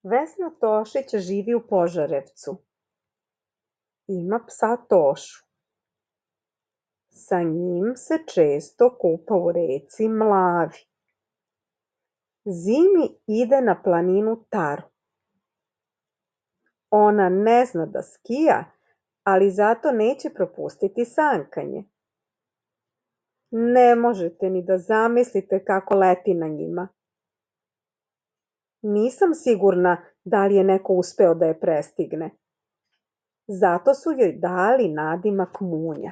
Vesna Tošić živi u Požarevcu. Ima psa Tošu. Sa njim se često kupa u reci Mlavi. Zimi ide na planinu Taru. Ona ne zna da skija, ali zato neće propustiti sankanje. Ne možete ni da zamislite kako leti na njima. Nisam sigurna da li je neko uspeo da je prestigne. Zato su joj dali nadimak Munja.